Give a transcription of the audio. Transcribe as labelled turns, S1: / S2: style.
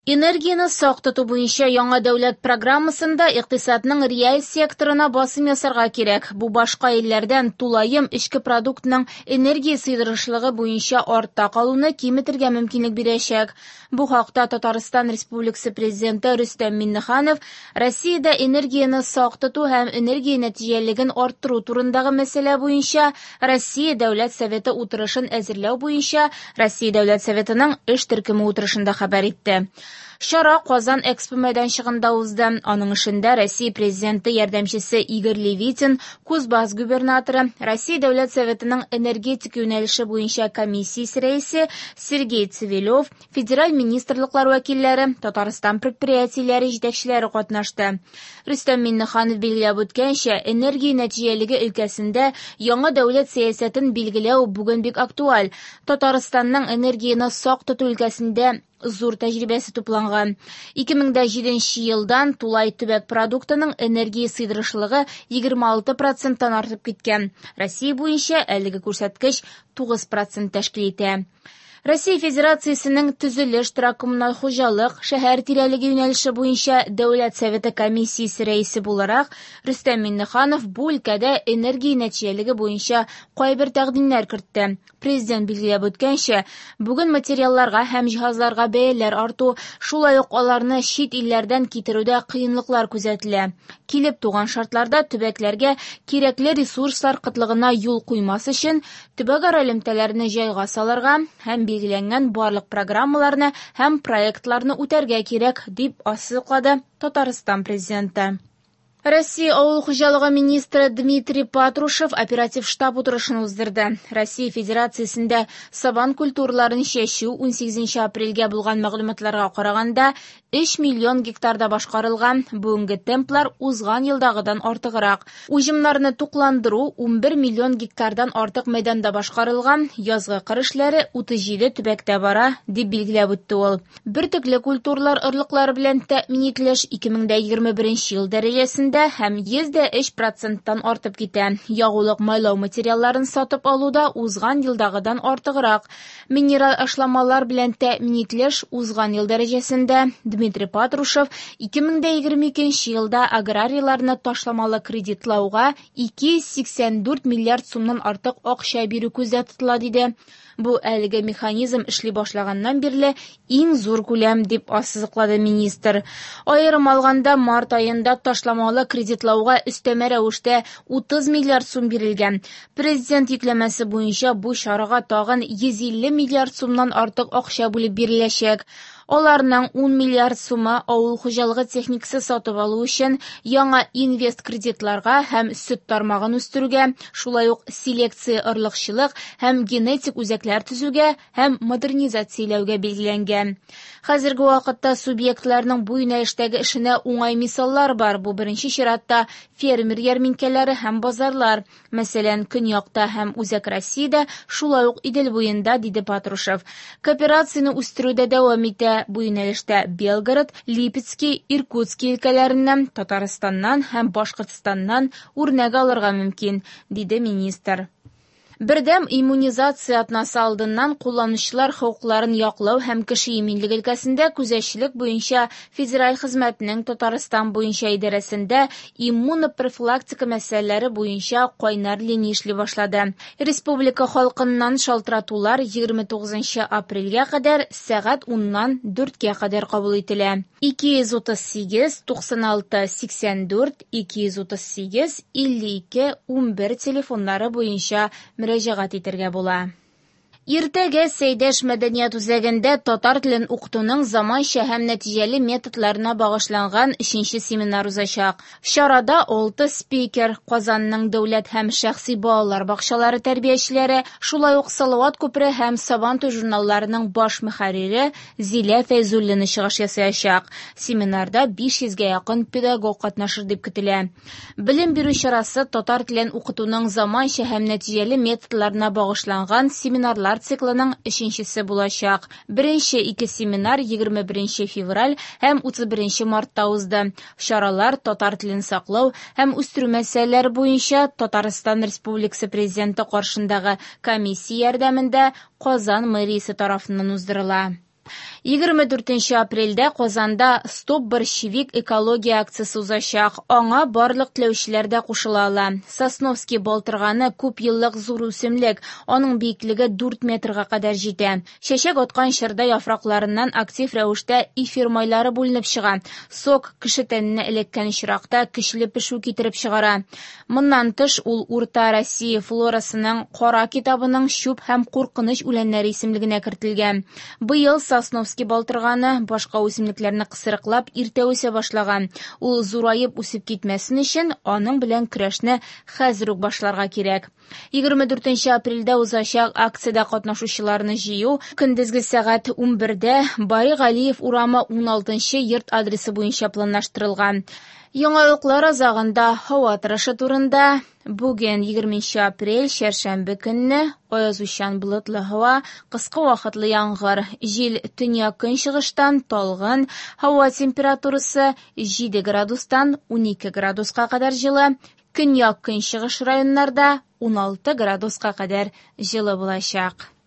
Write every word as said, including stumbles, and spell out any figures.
S1: Энергияне сак тоту буенча яңа дәүләт программасында икътисадның реаль секторына басым ясарга кирәк. Бу башка илләрдән тулаем эчке продуктның энергия сыйдырышлыгы буенча артта калуны киметергә мөмкинлек бирәчәк. Бу хакта Татарстан Республикасы Президенты Рөстәм Миңнеханов Россиядә энергияне сак тоту һәм энергия нәтиҗәлелеген арттыру турындагы мәсьәлә буенча Россия Дәүләт Советы утырышын әзерләү буенча Россия Дәүләт Советының эш төркеме утырышында хәбәр итте. Чара Казан Экспо мәйданчыгында узды. Аның эшендә Россия Президенты ярдәмчесе Игорь Левитин, Кузбасс губернаторы, Россия Дәүләт Советының энергетика юнәлеше буенча комиссиясе рәисе Сергей Цивилев, федераль министрлыклар вәкилләре, Татарстан предприятиеләре җитәкчеләре катнашты. Рөстәм Миңнеханов билгеләп үткәнчә, энергия нәтиҗәлелеге өлкәсендә яңа дәүләт сәясәтен билгеләү бүген бик актуаль. Татарстанның энергияне сак тоту өлкәсендә зур тәҗрибәсе тупланган. ике мең җиденче елдан тулай төбәк продуктының энергия сыйдырышлыгы егерме алты проценттан артып киткән. Россия буенча әлеге күрсәткеч тугыз процент тәшкил итә. Россия Федерациясенең төзелеш, торак-коммуналь хуҗалык, шәһәр тирәлеге юнәлеше буенча Дәүләт Советы комиссиясе рәисе буларак Рөстәм Миңнеханов бу өлкәдә энергия нәтиҗәлелеге буенча кайбер тәкъдимнәр кертте. Президент билгеләп үткәнчә, бүген материалларга һәм җиһазларга бәяләр арту, шулай ук аларны чит илләрдән китерүдә кыенлыклар күзәтелә. Килеп туган шартларда төбәкләргә кирәкле ресурслар кытлыгына юл куймас өчен төбәкара элемтәләрне җайга салырга һәм билгеләнгән барлык программаларны һәм проектларны үтәргә кирәк, дип ассызыклады Татарстан президенты. Россия авыл хуҗалыгы министры Дмитрий Патрушев оператив штаб утырышын уздырды. Россия Федерациясендә сабан культураларын чәчү унсигезенче апрельгә булган мәгълүматларга караганда өч миллион гектарда башкарылган. Бүгенге темплар узган елдагыдан артыграк. Уҗымнарны тукландыру унбер миллион гектардан артык мәйданда башкарылган. Язгы кыр эшләре утыз җиде төбәктә бара, дип билгеләп үтте ул. Бөртекле культуралар орлыклары белән тәэмин ителеш ике мең егерме беренче ел дәрәҗәсендә һәм йөз дә өч проценттан артып китә. Ягулык майлау материалларын сатып алуда узган елдагыдан артыграк. Минераль ашламалар белән тәэмин ителеш узган ел дәрәҗәсендә. Дмитрий Патрушев ике мең егерме икенче елда аграрийларны ташламалы кредитлауга ике йөз сиксән дүрт миллиард сумнан артык акча бирү күздә тотыла, диде. Бу әлеге механизм эшли башлаганнан бирле иң зур күләм, дип ассызыклады министр. Аерым алганда, март аенда ташламалы кредитлауга өстәмә рәвештә утыз миллиард сум бирелгән. Президент йөкләмәсе буенча бу чарага тагын йөз илле миллиард сумнан артык акча бүлеп биреләчәк. Аларның ун миллиард сумы авыл хуҗалыгы техникасы сатып алу өчен яңа инвест кредитларга һәм сөт тармагын үстерүгә, шулай ук селекция орлыкчылык һәм генетик үзәкләр төзүгә һәм модернизацияләүгә билгеләнгән. Хәзерге вакытта субъектларның бу юнәлештәге эшенә уңай мисаллар бар. Бу беренче чиратта фермер ярминкәләре һәм базарлар. Мәсәлән, Көньякта һәм Үзәк Россиядә, шулай ук Идел буенда, диде Патрушев. Кооперацияне үстерү дә дәвам итә. Бу юнәлештә Белгород, Липецкий, Иркутский өлкәләреннән, Татарстаннан һәм Башкортстаннан үрнәк алырга мөмкин, диде министр. Бердәм иммунизация атнасы алдыннан кулланучылар хокукларын яклау һәм кеше иминлеге өлкәсендә күзәтчелек буенча Федераль хезмәтнең Татарстан буенча идарәсендә иммунопрофилактика мәсьәләләре буенча кайнар линия эшли башлады. Республика халкыннан шалтыратулар егерме тугызынчы апрельгә кадәр сәгать уннан дүрткә кадәр кабул ителә. ике йөз утыз сигез, туксан алты, сиксән дүрт, ике йөз утыз сигез, илле ике, унбер телефоннары буенча мөрәҗәгать итәргә була. Иртәгә Сәйдәш мәдәният үзәгендә татар телен укытуның заманча һәм нәтиҗәле методларына багышланган өченче семинар узачак. Чарада алты спикер, Казанның дәүләт һәм шәхси балалар бакчалары тәрбиячеләре, шулай ук Салават күпере һәм Сабантуй журналларының баш мөхәррире Зилә Фәйзуллина чыгыш ясаячак. Семинарда биш йөзгә якын педагог катнашыр дип көтелә. Белем бирү чарасы татар телен укытуның заманча һәм нәтиҗәле методларына багышланган семинарлар циклының өченчесе булачак. Беренче ике семинар егерме беренче февраль һәм утыз беренче мартта узды. Чаралар татар телен саклау һәм үстерү мәсьәләләре буенча Татарстан Республикасы Президенты каршындагы комиссия ярдәмендә Казан мэриясе тарафыннан уздырыла. Егерме дүртенче апрельдә Казанда «Стоп борщевик» экология акциясе узачак. Аңа барлык теләүчеләр дә кушыла ала. Сосновский балтырганы күп еллык зур үсемлек, аның биеклеге дүрт метрга кадәр җитә. Чәчәк аткан чорда яфракларыннан актив рәвештә эфир майлары бүленеп чыга. Сок кеше тәненә эләккән очракта көчле пешү китереп чыгара. Моннан тыш, ул Урта Россия флорасының кара китабының чүп һәм куркыныч үләннәре исемлегенә кертелгән. Быел Сосновский балтырганы башка үсемлекләрне кысрыклап иртә үсә башлаган. Ул зураеп үсеп китмәсен өчен аның белән көрәшне хәзер үк башларга кирәк. Егерме дүртенче апрельдә узачак акциядә катнашучыларны җыю көндезге сәгать унбердә Бари Галиев урамы уналтынчы йорт адресы буенча планлаштырылган. Яңалыклар азагында һава торышы турында. Бүген егерменче апрель, чәршәмбе көнне аязучан болытлы һава, кыска вакытлы яңгыр, җил төньяк-көнчыгыштан талгын, һава температурасы җиде градустан унике градуска кадәр җылы, көньяк-көнчыгыш районнарда уналты градуска кадәр җылы булачак.